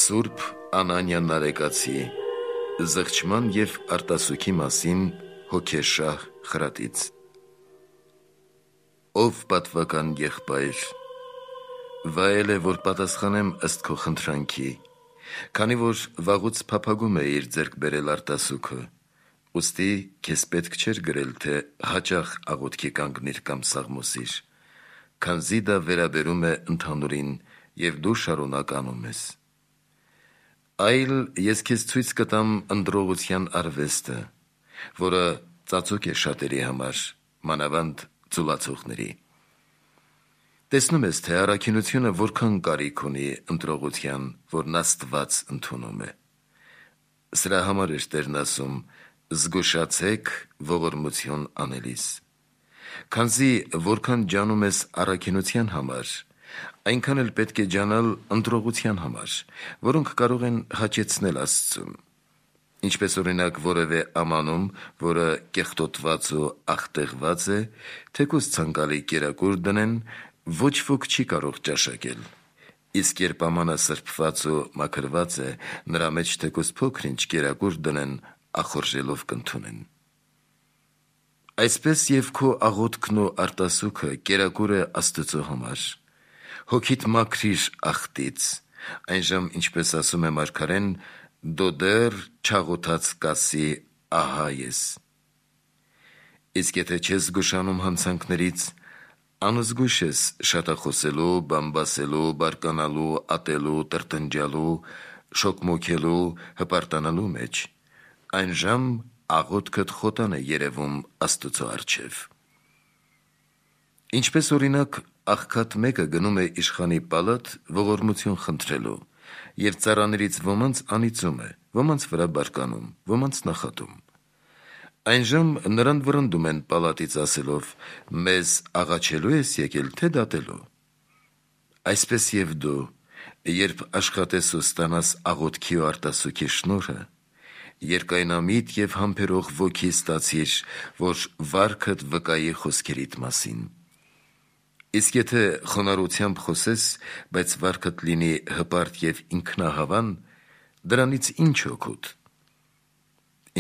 Սուրբ Անանյան Նարեկացի զղջման և արտասուքի մասին հոգեշահ խրատից։ Ով պատվական եղբայր, վայել է, որ պատասխանեմ ըստ քո խնդրանքի, քանի որ վաղուց փափագում էիր ձեռք բերել արտասուքը, ուստի քեզ պետք չէր գրել, թե հաճախ աղոթքի կանգնիր կամ սաղմոսիր, քանզի դա վերաբերում է ընդհանուրին և դու շարունակ անում ես։ Այլ ես քեզ ցույց կտամ ընտրողության արվեստը, որը ծածուկ է շատերի համար, մանավանդ ձուլացողների։ Տեսնում ես, թե առաքինությունը որքան կարիք ունի ընտրողության, որն Աստված ընդունում է։ Սրա համար էր Տերն ասում. «Զգուշացեք ողորմություն անելիս», քանզի որքան ջանում ես առաքինության համար, այնքան էլ պետք է ջանալ ընտրողության համար, որոնք կարող են հաճեցնել Աստծուն։ Ինչպես օրինակ որևէ ամանում, որը կեղտոտված ու աղտեղված է, թեկուզ ցանկալի կերակուր դնեն, ոչ ոք չի կարող ճաշակել, իսկ երբ ամանը սրբված ու մաքրված է, նրա մեջ թեկուզ փոքր-ինչ կերակուր դնեն, ախորժելով կընդունեն։ Այսպես և քո աղոթքն ու արտասուքը կերակուր է Աստծո համար։ Հոգիդ մաքրիր աղտից, այնժամ, ինչպես ասում է մարգարեն, «Դո դեռ չաղոթած կասի, ահա ես»։ Իսկ եթե չես զգուշանում հանցանքներից, անզգույշ ես շատախոսելու, բամբասելու, բարկանալու, ատելու, տրտնջալու, շոգմոքելու, հպարտանալու մեջ, այնժամ աղոթքդ խոտան է երևում Աստծո առջև։ Ինչպես օրինակ աղքատ մեկը գնում է իշխանի պալատ ողորմություն խնդրելու, և ծառաներից ոմանց անիծում է, ոմանց վրա բարկանում, ոմանց նախատում։ Այնժամ նրան վռնդում են պալատից ասելով. «Մեզ աղաչելու ես եկել, թե դատելու»։ Այսպես և դու, երբ աշխատես ու ստանաս աղոթքի ու արտասուքի շնորհը, երկայնամիտ և համբերող ոգի ստացիր, որ վարքդ վկայի խոսքերիդ մասին։ Իսկ եթե խոնարհությամբ խոսես, բայց վարքդ լինի հպարտ և ինքնահավան, դրանից ի՞նչ օգուտ։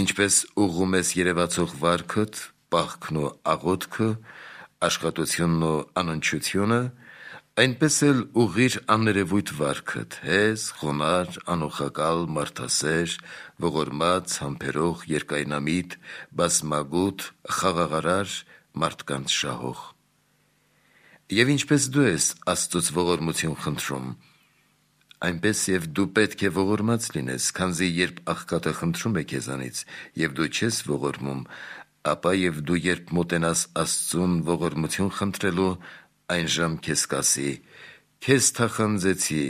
Ինչպես ուղղում ես երևացող վարքդ, պահքն ու աղոթքը, աշխատությունն ու անընդչությունը, այնպես էլ ուղղիր աներևույթ վարքդ, հեզ, խոնարհ, անուխակալ, մարդասեր, ողորմած, համբերող, երկայնամիտ, բազմագութ, խաղաղարար, մարդկանց շահող։ Եվ ինչպես դու ես Աստծուց ողորմություն խնդրում, այնպես և դու պետք է ողորմած լինես, քանզի երբ աղքատը խնդրում է քեզանից, և դու չես ողորմում, ապա և դու երբ մոտենաս Աստծուն ողորմություն խնդրելու, այնժամ քեզ կասի. «Քեզ թախանձեցի,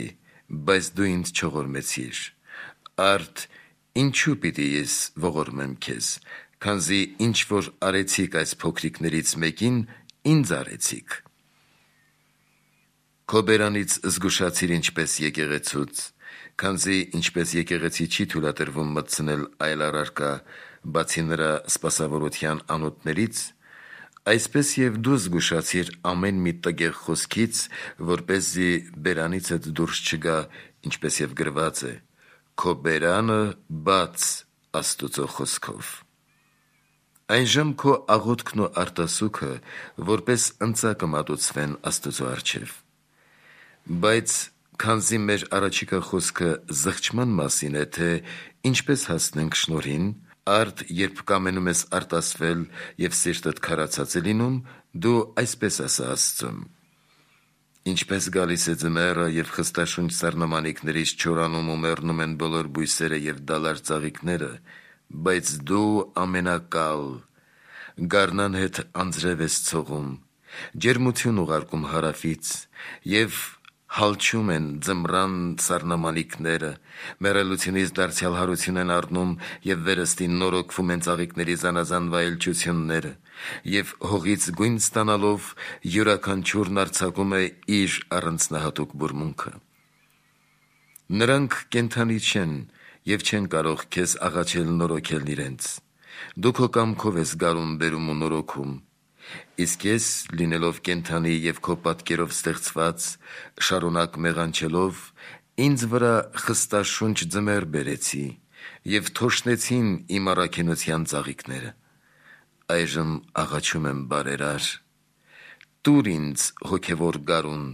բայց դու ինձ չողորմեցիր, արդ ինչու պիտի ես ողորմեմ քեզ, քանզի ինչ որ արեցիք այս փոքրիկներից մեկին, ինձ արեցիք»։ Քո բերանից զգուշացիր ինչպես եկեղեցուց, քանզի ինչպես եկեղեցի չի թույլատրվում մտցնել այլ առարկա, բացի նրա սպասավորության անոթներից, այսպես և դու զգուշացիր ամեն մի տգեղ խոսքից, որպեսզի բերանիցդ դուրս չգա, ինչպես և գրված է. «Քո բերանը բաց Աստուծո խոսքով»։ Այնժամ քո աղոթքն ու արտասուքը որպես ընծա կմատուցվեն Աստծո առջև։ Բայց քանզի մեր առաջիկա խոսքը զղջման մասին է, թե ինչպես հասնենք շնորհին, արդ երբ կամենում ես արտասվել և սիրտդ քարացած է լինում, դու այսպես ասա Աստծուն. «Ինչպես գալիս է ձմեռը և խստաշունչ սառնամանիքներից չորանում ու մեռնում են բոլոր բույսերը և դալար ծաղիկները, բայց դու ամենակալ, գարնան հետ անձրև ես ցողում, ջերմություն ուղարկում հարավից, և հալչում են ձմռան սառնամանիքները, մեռելությունից դարձյալ հարություն են առնում և վերստին նորոգվում են ծաղիկների զանազան վայելչությունները, և հողից գույն ստանալով յուրաքանչյուրն արձակում է իր առանձնահատուկ բուրմունքը։ Նրանք կենդանի չեն և չեն կարող քեզ աղաչել նորոգել իրենց, դու քո կամքով ես գարուն բերում ու նորոգում, իսկ ես, լինելով կենդանի և քո պատկերով ստեղծված, շարունակ մեղանչելով, Ինձ վրա խստաշունչ ձմեռ բերեցի և թոշնեցին իմ առաքինության ծաղիկները: Այժմ աղաչում եմ բարերար: Տուր ինձ հոգևոր գարուն,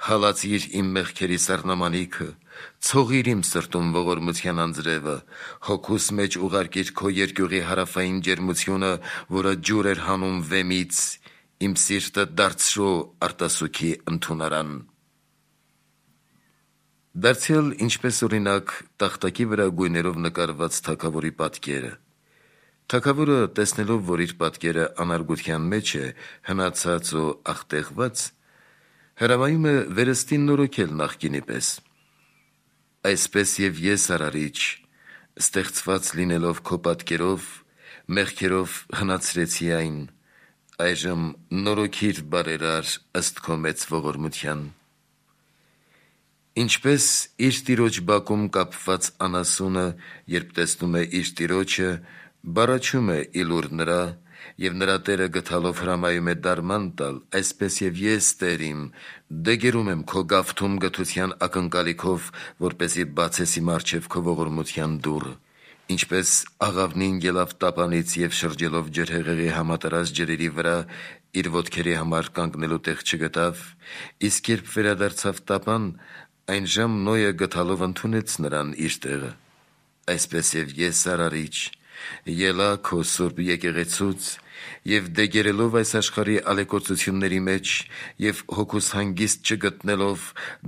հալածիր իմ մեղքերի սառնամանիքը, ցողիր իմ սրտում ողորմության անձրևը, հոգուս մեջ ուղարկիր քո երկյուղի հարավային ջերմությունը, որը ջուր էր հանում վեմից, իմ սիրտը դարձրու արտասուքի ընդունարան: Դարձյալ ինչպես օրինակ տախտակի վրա գույներով նկարված թագավորի պատկերը: Թագավորը, տեսնելով, որ իր պատկերը անարգության մեջ է, հնացած ու աղտեղված, հրամայում է վերստին նորոգել նախկինի պես: Այսպես և ես, Արարիչ, ստեղծված լինելով քո պատկերով, մեղքերով հնացրեցի այն: Այժմ նորոգիր բարերար ըստ քո մեծ ողորմության: Ինչպես իր տիրոջ բակում կապված անասունը, երբ տեսնում է իր տիրոջը, բառաչում է ի լուր նրա, և նրա տերը գթալով հրամայում է դարման տալ, այսպես և ես, Տեր իմ, դեգերում եմ քո գավթում գթության ակնկալիքով, որպեսզի բացես իմ առջև քո ողորմության դուռը: Ինչպես աղավնին ելավ տապանից և շրջելով ջրհեղեղի համատարած ջրերի վրա, իր ոտքերի համար կանգնելու տեղ չգտավ, իսկ երբ վերադարձավ տապան, այնժամ Նոյը գթալով ընդունեց նրան իր տեղը: Այսպես և ես, Արարիչ, ելա քո սուրբ եկեղեցուց և դեգերելով այս աշխարհի ալեկոծությունների մեջ և հոգուս հանգիստ չգտնելով,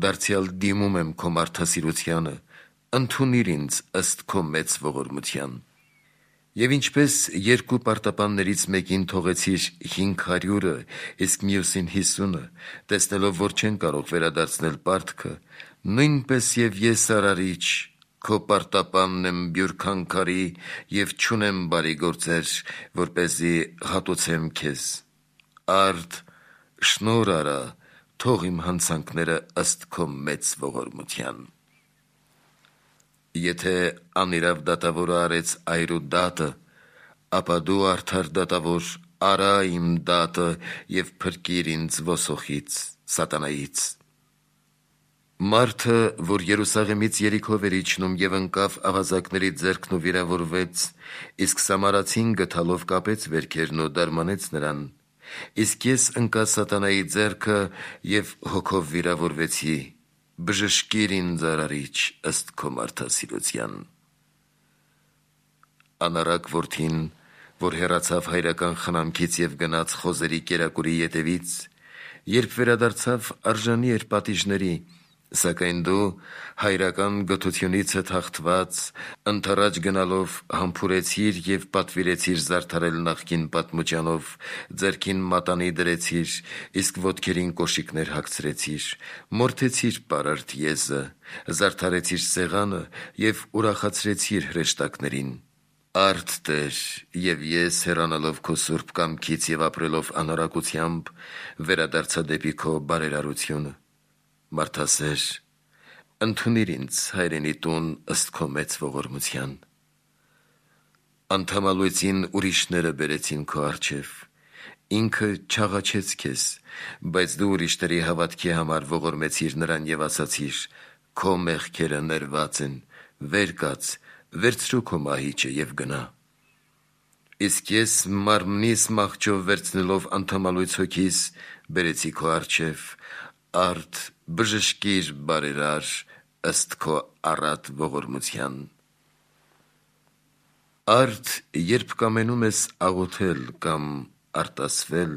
դարձյալ դիմում եմ քո մարդասիրությանը, ընդունիր ինձ ըստ քո մեծ ողորմության: Եվ ինչպես երկու պարտապաններից մեկին թողեցիր 500-ը, իսկ մյուսին 50-ը, տեսնելով, որ չեն կարող վերադարձնել պարտքը, նույնպես և ես, Արարիչ, քո պարտապանն եմ բյուրքանքարի և չունեմ բարի գործեր, որպեսզի հատուցեմ քեզ: Արդ, շնորհ արա, թող իմ հանցանքները ըստ քո մեծ ողորմության: Եթե անիրավ դատավորը արեց այրու դատը, ապա դու, արդար դատավոր, արա իմ դատը և փրկիր ինձ ոսոխից, սատանայից: Մարդը, որ Երուսաղեմից Երիքով էր իջնում և ընկավ ավազակների ձեռքն ու վիրավորվեց, իսկ Սամարացին գթալով կապեց վերքերն ու դարմանեց նրան, իսկ ես ընկա սատանայի ձեռքը և հոգով վիրավորվեցի: Բժշկիր ինձ, Արարիչ, ըստ քո մարդասիրության: Անառակ որդին, որ հեռացավ հայրական խնամքից և գնաց խոզերի կերակուրի ետևից, երբ վերադարձավ, արժանի էր պատիժների, սակայն դու, հայրական գթությունիցդ հաղթված, ընդառաջ գնալով, համբուրեցիր և պատվիրեցիր զարդարել նախկին պատմուճանով, ձեռքին մատանի դրեցիր, իսկ ոտքերին կոշիկներ հագցրեցիր, մորթեցիր պարարտ եզը, զարդարեցիր սեղանը և ուրախացրեցիր հրեշտակներին: Արդ, Տեր, և ես, հեռանալով քո սուրբ կամքից և ապրելով անառակությամբ, վերադարձա դեպի քո բարերարությունը: Մարդասեր, ընդունիր ինձ հայրենի տուն ըստ քո մեծ ողորմության: Անդամալույծին ուրիշները բերեցին քո առջև, ինքը չաղաչեց քեզ, բայց դու ուրիշների հավատքի համար ողորմեցիր նրան և ասացիր. «Քո մեղքերը ներված են, վեր կաց, վերցրու քո մահիճը և գնա»: Իսկ ես մարմնիս մահճով վերցնելով անդամալույծ հոգիս, բերեցի քո առջև: Արդ, բժշկիր բարերար ըստ քո առատ ողորմության: Արդ, երբ կամենում ես աղոթել կամ արտասվել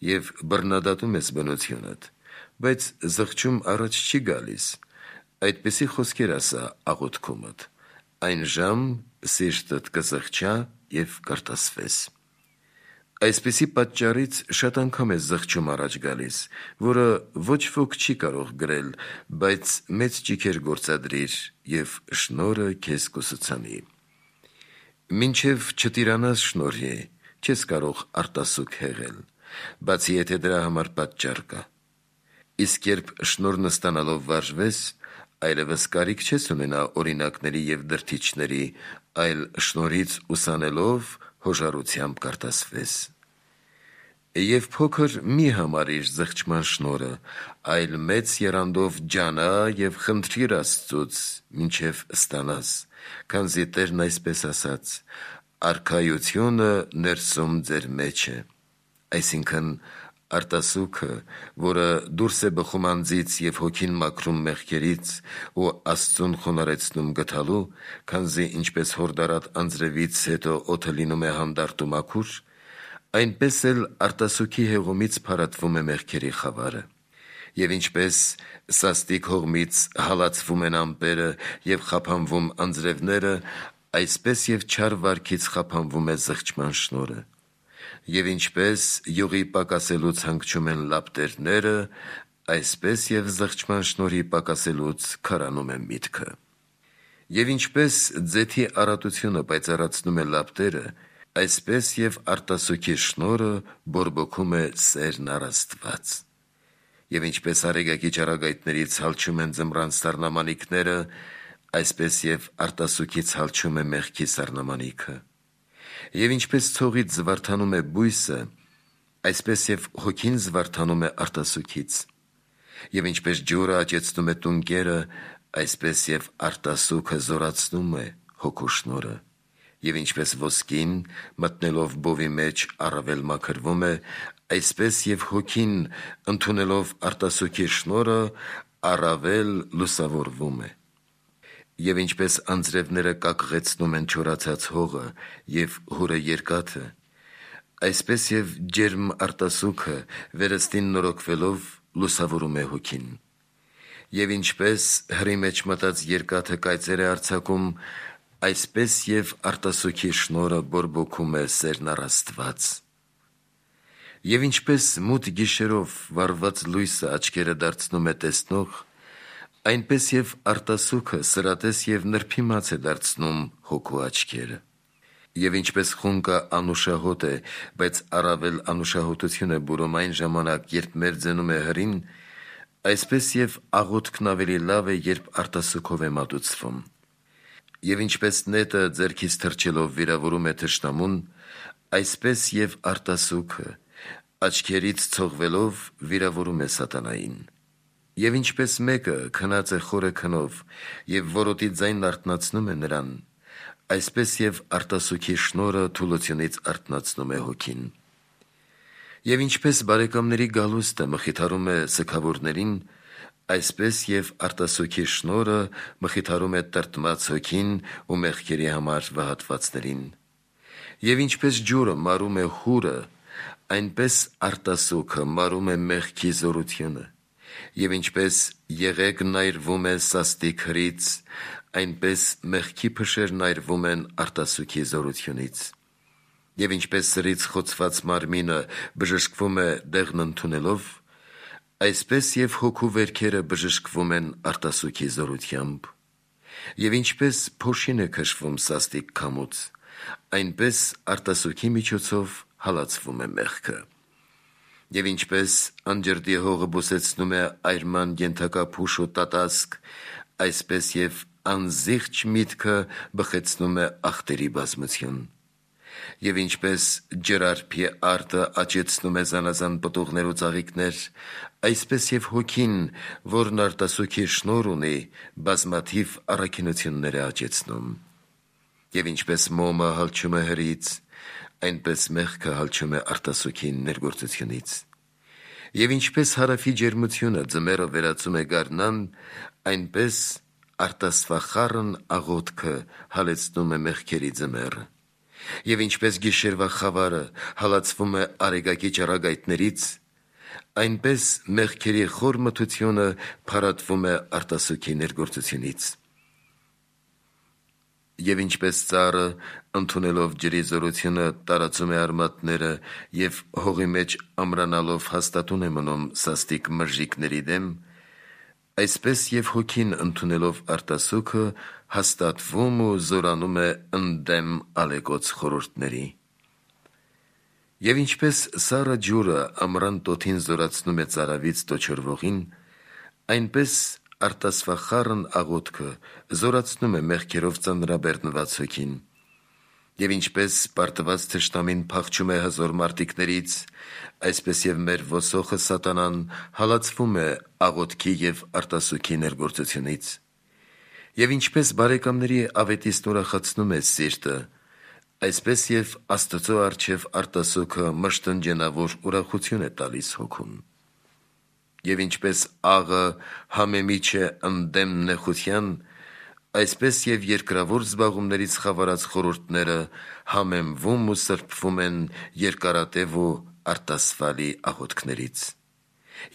և բռնադատում ես բնությունդ, բայց զղջում առաջ չի գալիս, այդպիսի խոսքեր ասա աղոթքումդ, այնժամ սիրտդ կզղջա և կարտասվես: Այսպիսի պատճառից շատ անգամ է զղջում առաջ գալիս, որը ոչ ոք չի կարող գրել, բայց մեծ ճիգեր գործադրիր և շնորհը քեզ կուսուցանի: Մինչև չտիրանաս շնորհի, չես կարող արտասուք հեղել, բացի եթե դրա համար պատճառ կա: Իսկ երբ շնորհն ստանալով վարժվես, այլևս կարիք չես ունենա օրինակների և դրդիչների, այլ շնորհից ուսանելով հոժարությամբ կարտասվես: Եվ փոքր մի համարիր զղջման շնորը, այլ մեծ եռանդով ջանա եւ խնդրիր Աստծուց, մինչեւ ստանաս, քանզի Տերն այսպես ասաց. արքայությունը ներսում ձեր մեջ է, այսինքն արտասուքը, որը դուրս է բխում անձից եւ հոգին մաքրում մեղքերից ու Աստծուն խոնարհեցնում գթալու, քանզի ինչպես հորդարատ անձրևից հետո օդը լինում է հանդարտ ու մաքուր, այնպես էլ արտասուքի հեղումից փարատվում է մեղքերի խավարը, եւ ինչպես սաստիկ հողմից հալածվում են ամպերը եւ խափանվում անձրևները, այսպես եւ չար վարքից խափանվում է զղջման շնորը, եւ ինչպես յուղի պակասելուց հանգչում են լապտերները, այսպես եւ զղջման շնորհի պակասելուց քարանում է միտքը, եւ ինչպես ձեթի առատությունը պայծառացնում է լապտերը, այսպես եւ արտասուքի շնորը բորբոքում է սերն առ Աստված, եւ ինչպես արեգակի ճառագայթներից հալչում են ձմռան սառնամանիքները, այսպես եւ արտասուքից հալչում է մեղքի սառնամանիքը, եւ ինչպես ցողից զվարթանում է բույսը, այսպես եւ հոգին զվարթանում է արտասուքից, եւ ինչպես ջուրը աճեցնում է տունկերը, այսպես եւ արտասուքը զորացնում է հոգու շնորը, եւ ինչպես ոսկին մտնելով բովի մեջ առավել մաքրվում է, այսպես եւ հոգին ընդունելով արտասուքի շնորը առավել լուսավորվում է, եւ ինչպես անձրևները կակղեցնում են չորացած հողը եւ հուրը երկաթը, այսպես եւ ջերմ արտասուքը վերստին նորոգվելով լուսավորում է հոգին, եւ ինչպես հրի մեջ մտած երկաթը կայծեր է արձակում, այսպես եւ արտասուքի շնորը բորբոքում է սերն առ Աստված, եւ ինչպես մութ գիշերով վառված լույսը աչքերը դարձնում է տեսնող, այնպես եւ արտասուքը սրատես եւ նրբիմաց է դարձնում հոգու աչքերը, եւ ինչպես խունկը անուշահոտ է, բայց առավել անուշահոտություն է բուրում այն ժամանակ, երբ մերձենում է հրին, այսպես եւ աղոթքն ավելի լավ է, երբ արտասուքով է մատուցվում, եւ ինչպես նետը ձեռքից թռչելով վիրավորում է թշնամուն, այսպես եւ արտասուքը աչքերից ցողվելով վիրավորում է սատանային, եւ ինչպես մեկը քնած է խորը քնով եւ որոտի ձայնն արթնացնում է նրան, այսպես եւ արտասուքի շնորը թուլությունից արթնացնում է հոգին, եւ ինչպես բարեկամների գալուստը մխիթարում է սգավորներին, այսպես եւ արտասուքի շնորը մխիթարում է տրտմած հոգին ու մեղքերի համար վհատվածներին, եւ ինչպես ջուրը մարում է հուրը, այնպես արտասուքը մարում է մեղքի զորությունը, եւ ինչպես եղեգն այրվում է սաստիկ հրից, այնպես մեղքի փշերն այրվում են արտասուքի զորությունից, եւ ինչպես սրից խոցված մարմինը բժշկվում է դեղն ընդունելով, այսպես եւ հոգու վերքերը բժշկվում են արտասուքի զորությամբ, եւ ինչպես փոշին է քշվում սաստիկ քամուց, այնպես արտասուքի միջոցով հալածվում է մեղքը, եւ ինչպես անջրդի հողը բուսեցնում է այրման ենթակա փուշ ու տատասկ, այսպես եւ անզիղջ միտքը բխեցնում է ախտերի բազմություն, եւ ինչպես ջրարփի արտը աճեցնում է զանազան պտուղներ ու ծաղիկներ, այսպես եւ հոգին, որն արտասուքի շնոր ունի, բազմաթիվ առաքինություններ է աճեցնում, եւ ինչպես մոմը հալչում է հրից, այնպես մեղքը հալչում է արտասուքի ներգործությունից, եւ ինչպես հարավի ջերմությունը ձմեռը վերածում է գարնան, այնպես արտասվախառն աղոթքը հալեցնում է մեղքերի ձմեռը, եւ ինչպես գիշերվա խավարը հալածվում է արեգակի ճառագայթներից, այնպես մեղքերի խոր մթությունը փարատվում է արտասուքի ներգործությունից, եւ ինչպես ծառը ընդունելով ջրի զորությունը տարածում է արմատները եւ հողի մեջ ամրանալով հաստատուն է մնում սաստիկ մրժիկների դեմ, այսպես եւ հոգին ընդունելով արտասուքը հաստատվում ու զորանում է ընդդեմ ալեկոծ խորհուրդների, եւ ինչպես սառը ջուրը ամռան տոթին զորացնում է ծարավից տոչորվողին, այնպես արտասվախառն աղոթքը զորացնում է մեղքերով ծանրաբեռնված հոգին, Եվ ինչպես պարտված թշնամին փախչում է հզոր մարտիկներից, այսպես եւ մեր ոսոխը սատանան հալածվում է աղոթքի եւ արտասուքի ներգործությունից։ Եվ ինչպես բարեկամների ավետիստն ուրախացնում է սիրտը, այսպես եւ Աստծո առջև արտասուքը մշտնջենավոր ուրախություն է տալիս հոգուն։ Եվ ինչպես աղը համեմիջ է ընդդեմ նեխության, այսպես եւ երկրավոր զբաղումներից խավարած խորհուրդները համեմվում ու սրբվում են երկարատև ու արտասվալի աղոթքներից։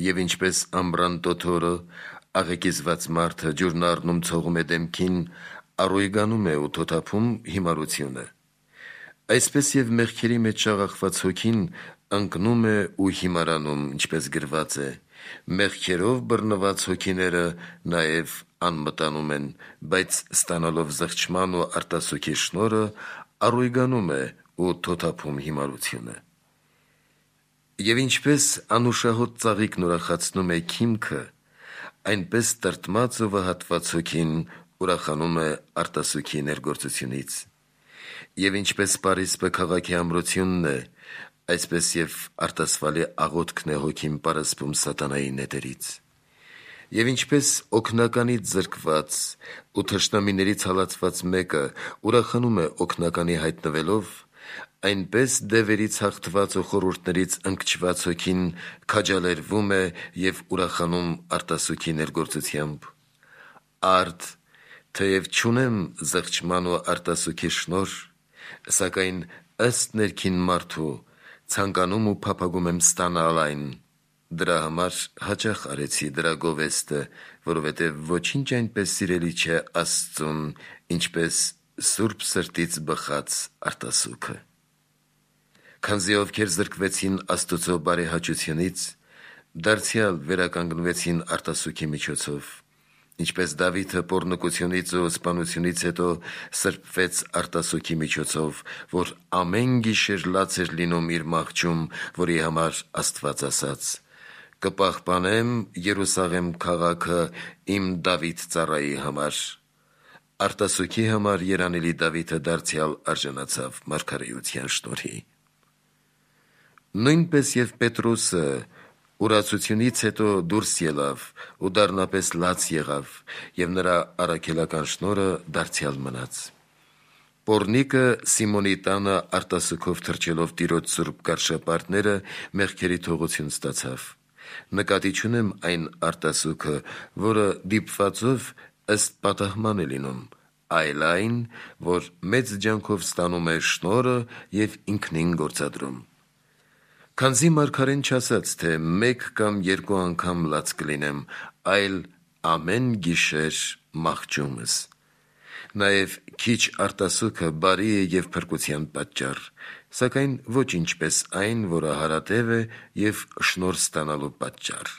Եվ ինչպես ամռան տոթորը աղեկիզված մարդը ջուրն առնում ցողում է դեմքին, առույգանում է ու թոթափում հիմարությունը, այսպես եւ մեղքերի մեջ շաղախված հոգին ընկնում է ու հիմարանում, ինչպես գրված է. մեղքերով բռնված հոգիները նաեւ անմտանում են, բայց ստանալով զղջման ու արտասուքի շնորհը առույգանում է ու թոթափում հիմարությունը։ Եվ ինչպես անուշահոտ ծաղիկն ուրախացնում է քիմքը, այնպես տրտմած ու վհատված հոգին ուրախանում է արտասուքի ներգործությունից։ Եվ ինչպես Պարիսպը քաղաքի ամրությունն է, այսպես եւ արտասվալի աղոթքն է հոգին պարսպում սատանայի նետերից։ Եվ ինչպես օգնականից զրկված ու թշնամիներից հալածված մեկը ուրախանում է օգնականի հայտնվելով, այնպես դևերից հաղթված ու խորհուրդներից ընկճված հոգին քաջալերվում է եւ ուրախանում արտասուքի ներգործությամբ։ Արդ, թեև չունեմ զղջման ու արտասուքի շնորհ, սակայն ըստ ներքին մարդու ցանկանում ու փափագում եմ ստանալ այն, դրա համար հաճախ արեցի դրա գովեստը, որովհետև ոչինչ այնպես սիրելի չէ Աստծուն, ինչպես սուրբ սրտից բխած արտասուքը։ Քանզի ովքեր զրկվեցին Աստծո բարեհաճությունից, դարձյալ վերականգնվեցին արտասուքի միջոցով, ինչպես Դավիթը պոռնկությունից ու սպանությունից հետո սրբվեց արտասուքի միջոցով, որ ամեն գիշեր լաց էր լինում իր մահճում, որի համար Աստված ասաց. «Կպահպանեմ Երուսաղեմ քաղաքը իմ Դավիթ ծառայի համար»։ Արտասուքի համար երանելի Դավիթը դարձյալ արժանացավ մարգարեության շնորհի։ Նույնպես եւ Պետրոսը ուրացությունից հետո դուրս ելավ ու դառնապես լաց եղավ, եւ նրա առաքելական շնորհը դարձյալ մնաց։ Պոռնիկը Սիմոնի տանը արտասուքով թռչելով տիրոջ սուրբ կարշապարտները մեղքերի թողություն ստացավ։ Նկատի չունեմ այն արտասուքը, որը դիպվածով ըստ պատահման է լինում, այլ այն, որ մեծ ջանքով ստանում է շնորհը եւ ինքնին գործադրում։ Քանզի մարգարեն չասաց, թե մեկ կամ երկու անգամ լաց կլինեմ, այլ ամեն գիշեր մահճումս։ Նաև քիչ արտասուքը բարի է եւ փրկության պատճառ, սակայն ոչ ինչպես այն, որը հարատև է եւ շնորհ ստանալու պատճառ։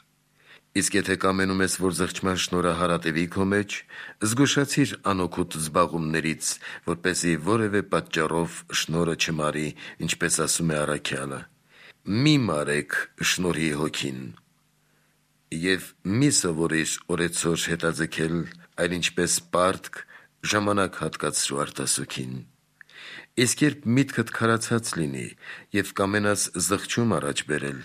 Իսկ եթե կամենում ես, որ զղջման շնորհը հարատևի քո մեջ, զգուշացիր անօգուտ զբաղումներից, որպեսզի որևէ պատճառով շնորհը չմարի, ինչպես ասում է առաքյալը. «Մի մարեք շնորհի հոգին» եւ մի սովորիր օրեցօր հետաձգել, այլ ինչպես պարտք ժամանակ հատկացրու արտասուքին։ Իսկ երբ միտքդ քարացած լինի եւ կամենաս զղջում առաջ բերել,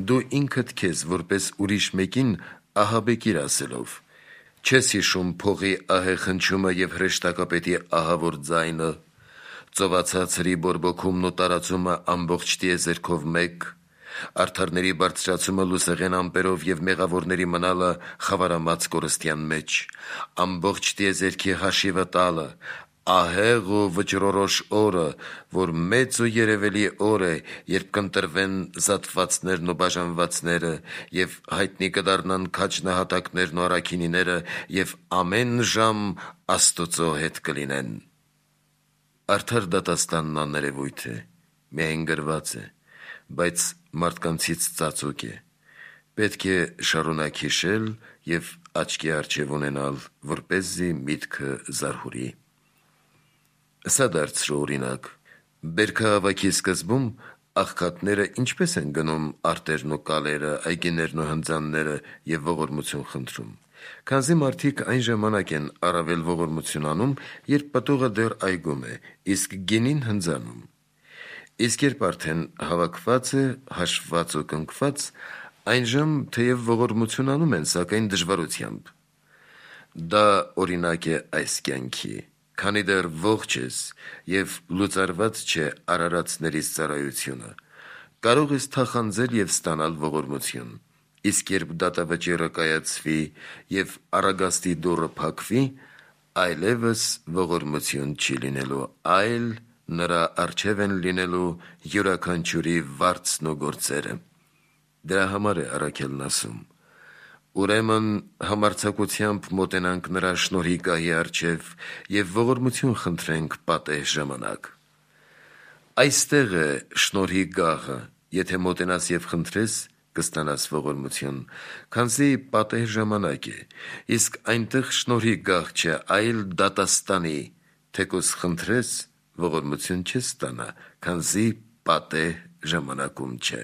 դու ինքդ քեզ որպես ուրիշ մեկին ահաբեկիր ասելով. չես հիշում փողի ահե խնչումը եւ հրեշտակապետի ահավոր ձայնը, ծովածած հրի բորբոքումն ու տարածումը ամբողջ տիեզերքով մեկ, արդարների բարձրացումը լուսեղեն ամպերով եւ մեղավորների մնալը խավարամած կորստյան մեջ, ամբողջ տիեզերքի հաշիվը տալը, ահեղ ու վճռորոշ օրը, որ մեծ ու երևելի օր է, երբ կընտրվեն զատվածներն ու բաժանվածները եւ հայտնի կդառնան քաջնահատակներն ու առաքինիները եւ ամեն ժամ Աստծո հետ կլինեն։ Արդար դատաստանն աներևույթ է, միայն գրված է, բայց մարդկանցից ծածուկ է։ Պետք է շարունակ հիշել եւ աչքի առջև ունենալ, որպեսզի միտքը զարհուրի։ Սա դարձրու օրինակ։ Բերքահավաքի սկզբում աղքատները ինչպես են գնում արտերն ու կալերը, այգիներն ու հնձանները եւ ողորմություն խնդրում, Քանզի մարդիկ այն ժամանակ են առավել ողորմություն անում, երբ պտուղը դեռ այգում է, իսկ գինին հնձանում։ Իսկ երբ արդեն հավաքված է, հաշվված ու կնքված, այնժամ թեև ողորմություն անում են, սակայն դժվարությամբ։ Դա օրինակ է այս կյանքի, քանի դեռ ողջ ես և լուծարված չէ արարածներից ծառայությունը, կարող ես թախանձել և ստանալ ողորմություն, իսկ երբ դատավճիռը կայացվի և առագաստի դուռը փակվի, այլևս ողորմություն չի լինելու, այլ նրա առջև են լինելու յուրաքանչյուրի վարձն ու գործերը։ Դրա համար է առաքելն ասում. ուրեմն համարձակությամբ մոտենանք նրա շնորհի գահի առջև և ողորմություն խնդրենք պատեհ ժամանակ։ Այստեղ է շնորհի գահը, եթե մոտենաս և խնդրես, կստանաս ողորմություն, քանզի պատեհ ժամանակ է, իսկ այնտեղ շնորհի գահ չէ, այլ դատաստանի, թեկուզ խնդրես, ողորմություն չես ստանա, քանզի պատեհ ժամանակում չէ։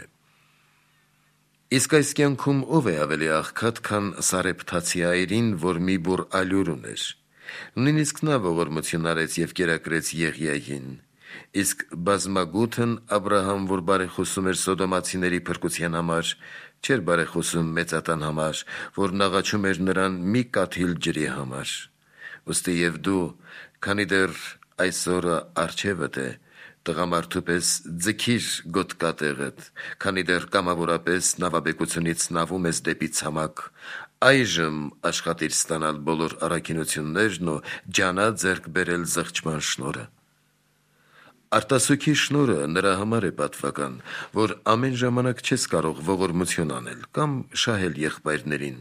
Իսկ այս կյանքում ով է ավելի աղքատ, քան Սարեփթացի այրին, որ մի բուռ ալյուր ուներ։ Նույնիսկ նա ողորմություն արեց և կերակրեց Եղիային։ Իսկ բազմագութն Աբրահամ, որ բարեխոսում էր Սոդոմացիների փրկության համար, չէր բարեխոսում մեծատան համար, որն աղաչում էր նրան մի կաթիլ ջրի համար։ Ուստի և դու, քանի դեռ այսօրը առջևդ է, տղամարդու պես ձգիր գոտկատեղդ, քանի դեռ կամավորապես նավաբեկությունից նավում ես դեպի ցամաք, այժմ աշխատիր ստանալ բոլոր առաքինություններն ու ջանա ձեռք բերել զղջման շնորհը։ Արտասուքի շնորհը նրա համար է պատվական, որ ամեն ժամանակ չես կարող ողորմություն անել կամ շահել եղբայրներին,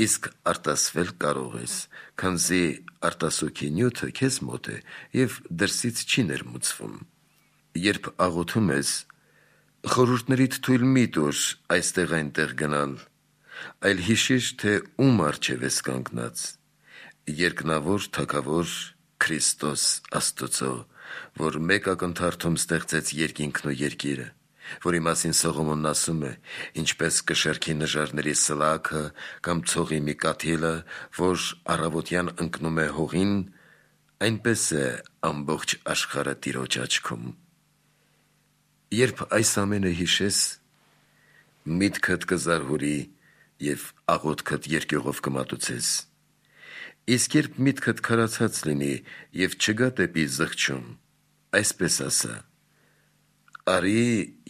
իսկ արտասվել կարող ես, քանզի արտասուքի նյութը քեզ մոտ է և դրսից չի ներմուծվում։ Երբ աղոթում ես, խորհուրդներիդ թույլ մի տուր այստեղ այնտեղ գնալ, այլ հիշիր, թե ում առջև ես կանգնած՝ երկնավոր Թագավոր Քրիստոս Աստծո, որ մեկ ակնթարթում ստեղծեց երկինքն ու երկիրը, որի մասին Սողոմոնն ասում է. ինչպես կշեռքի նժարների սլաքը կամ ցողի մի կաթիլը, որ առավոտյան ընկնում է հողին, այնպես է ամբողջ աշխարհը Տիրոջ աչքում։ Երբ այս ամենը հիշես, միտքդ կզարհուրի և աղոթքդ երկյուղով կմատուցես։ Իսկ երբ միտքդ քարացած լինի և չգա դեպի զղջում, այսպես ասա. «Արի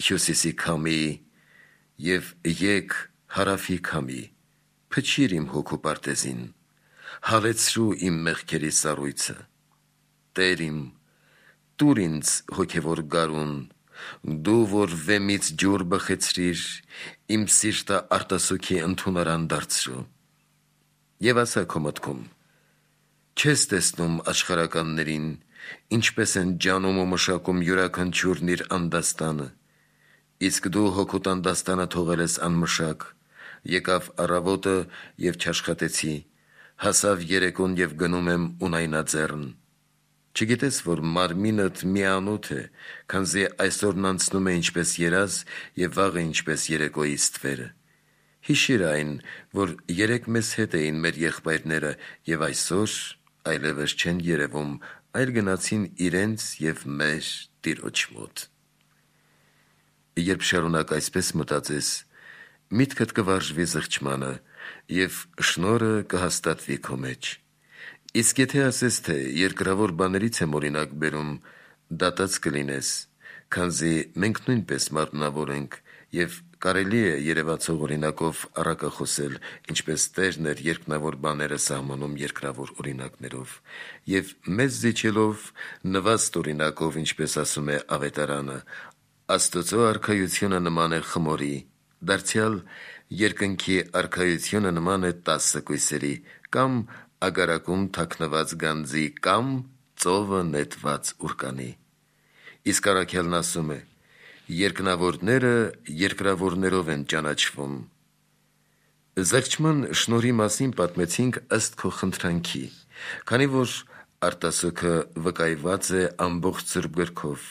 հյուսիսի քամի և եկ հարավի քամի, փչիր իմ հոգու պարտեզին, հալեցրու իմ մեղքերի սառույցը, Տեր իմ, տուր ինձ հոգևոր գարուն, դու, որ վեմից ջուր բխեցրիր, իմ սիրտը արտասուքի ընդունարան դարձրու։ Եվ ասա քո մտքում. չես տեսնում աշխարհականներին, ինչպես են ջանում ու մշակում յուրաքանչյուրն իր անդաստանը, իսկ դու հոգուտ անդաստանը թողել ես անմշակ, եկավ առավոտը և չաշխատեցի, հասավ երեկոն և գնում եմ ունայնաձեռն։ Չգիտես, որ մարմինդ միանոթ է, քանզի այսօրն անցնում է ինչպես երազ և վաղը ինչպես երեկոյի ստվերը։ Հիշիր այն, որ երեկ մեզ հետ էին մեր եղբայրները և այսօր այլևս չեն երևում, այլ գնացին իրենց և մեր Տիրոջ մոտ։ Երբ շարունակ այսպես մտածես, միտքդ կվարժվի զղջմանը և շնորհը կհաստատվի քո մեջ։ Իսկ եթե ասես, թե երկրավոր բաներից եմ օրինակ բերում, դատած կլինես, քանզի մենք նույնպես մարմնավոր ենք և կարելի է երևացող օրինակով առակախոսել, ինչպես Տերն էր երկնավոր բաները սահմանում երկրավոր օրինակներով, և մեզ զիջելով նվաստ օրինակով, ինչպես ասում է Ավետարանը, Աստծո արքայությունը նման է խմորի, դարձյալ երկնքի արքայությունը նման է 10 կույսերի կամ ագարակում թաքնված գանձի կամ ծովը նետված ուռկանի։ Իսկ առաքյալն ասում է. երկնավորները երկրավորներով են ճանաչվում։ Զղջման շնորհի մասին պատմեցինք ըստ քո խնդրանքի, քանի որ արտասուքը վկայված է ամբողջ Սուրբ Գրքով,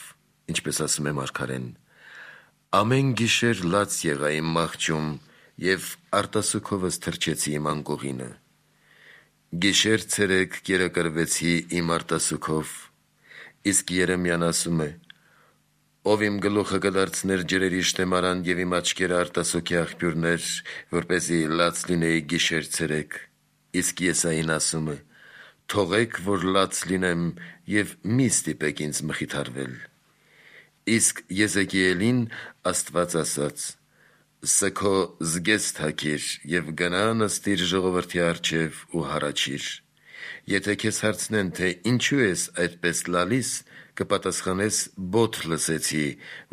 ինչպես ասում է մարգարեն. ամեն գիշեր լաց եղա իմ մահճում և արտասուքովս թրջեցի իմ անկողինը։ Գիշեր ցերեկ կերակրվեցի իմ արտասուքով, իսկ Երեմյան ասում է. ով իմ գլուխը կդարձներ ջրերի շտեմարան եւ իմ աչքերը արտասուքի աղբյուրներ, որպեսզի լաց լինեի գիշեր ցերեկ, իսկ Եսային ասում է. թողեք, որ լաց լինեմ եւ մի ստիպեք ինձ մխիթարվել։ Իսկ Եզեկիելին Աստված ասաց. Սքո զգես թակիր եւ գնա նստիր ժողովրդի առջեւ ու հառաչիր։ Եթե քեզ հարցնեն, թե ինչու ես այդպես լալիս, կպատասխանես. բոթ լսեցի,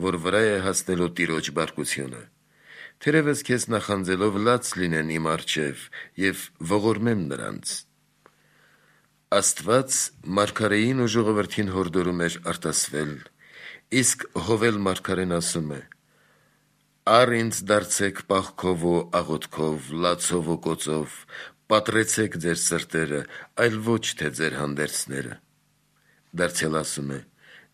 որ վրա է հասնելու Տիրոջ բարկությունը։ Թերևս քեզ նախանձելով լաց լինեն իմ առջեւ եւ ողորմեմ նրանց։ Աստված մարգարեին ու ժողովրդին հորդորում էր արտասվել, իսկ Հովել մարգարեն ասում է. Առ ինձ դարձեք պաղքով ու աղոթքով, լացով ու կոծով, պատռեցեք ձեր սրտերը, այլ ոչ թե ձեր հանդերձները։ Դարձյալ ասում է.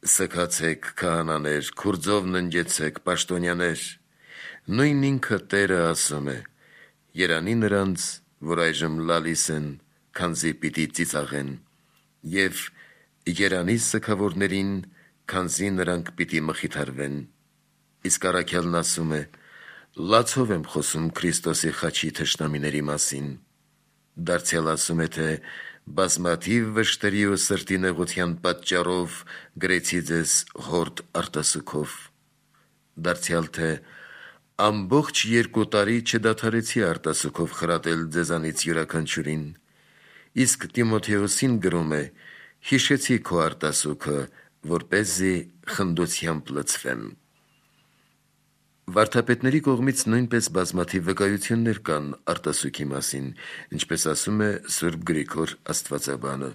սգացեք քահանաներ, քուրձով ննջեցեք պաշտոնյաներ։ Նույն ինքը Տերը ասում է. երանի նրանց, որ այժմ լալիս են, քանզի պիտի ծիծաղեն, եւ երանի սգավորներին, քանզի նրանք պիտի մխիթարվեն։ Իսկ առաքյալն ասում է. լացով եմ խոսում Քրիստոսի խաչի թշնամիների մասին։ Դարձյալ ասում է, թե բազմաթիվ վշտերի ու սրտի նեղության պատճառով գրեցի ձեզ հորդ արտասուքով։ Դարձյալ թե ամբողջ 2 տարի չդադարեցի արտասուքով խրատել ձեզանից յուրաքանչյուրին։ Իսկ Տիմոթեոսին գրում է. հիշեցի քո արտասուքը, որպեսզի խնդությամբ լցվեմ։ Վարդապետների կողմից նույնպես բազմաթիվ վկայություններ կան արտասուքի մասին, ինչպես ասում է Սուրբ Գրիգոր Աստվածաբանը.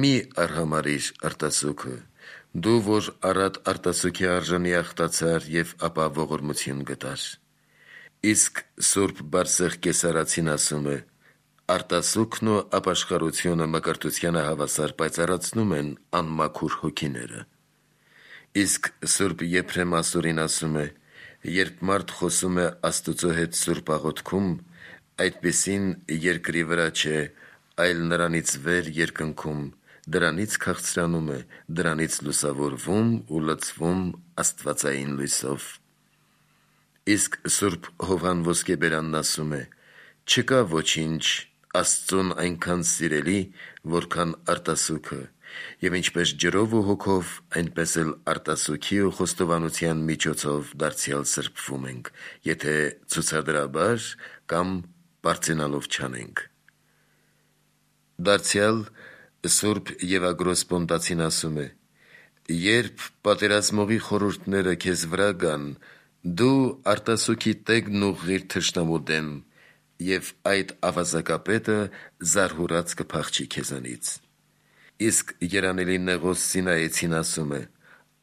մի արհամարիր արտասուքը, դու որ առատ արտասուքի արժանի աղտացար եւ ապա ողորմություն գտար։ Իսկ Սուրբ Բարսեղ Կեսարացին ասում է. արտասուքն ու ապաշխարությունը մկրտությանը հավասար պայծառացնում են անմաքուր հոգիները։ Իսկ Սուրբ Եփրեմ Ասորին ասում է. երբ մարդ խոսում է Աստծո հետ սուրբ աղոթքում, այդպիսին երկրի վրա չէ, այլ նրանից վեր երկնքում, դրանից քաղցրանում է, դրանից լուսավորվում ու լցվում աստվածային լույսով։ Իսկ Սուրբ Հովհան Ոսկեբերանն ասում է. չկա ոչինչ Աստծուն այնքան սիրելի, որքան արտասուքը, եւ ինչպես ջրով ու հոգով, այնպես էլ արտասուքի ու խոստովանության միջոցով դարձյալ սրբվում ենք, եթե ցուցադրաբար կամ պարծենալով չանենք։ Դարձյալ Սուրբ Եվագրոս Պոնտացին ասում է. երբ պատերազմողի խորհուրդները քեզ վրա գան, դու արտասուքի տեգն ուղղիր թշնամու դեմ, եւ այդ ավազակապետը զարհուրած կփախչի քեզանից։ Իսկ երանելի Նեղոս Սինայեցին ասում է.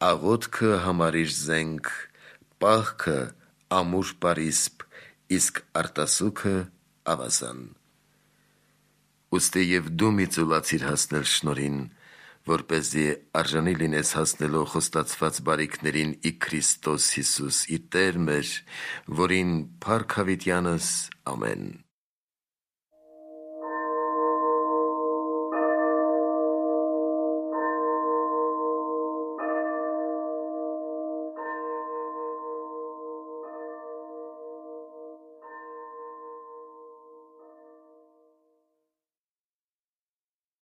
աղոթքը համարիր զենք, պահքը ամուր պարիսպ, իսկ արտասուքը ավազան։ Ուստի եւ դու մի ծուլացիր հասնել շնորհին, որպեսզի արժանի լինես հասնելով խոստացված բարիքներին ի Քրիստոս Հիսուս, ի Տեր մեր, որին փառք հավիտյանս ամեն։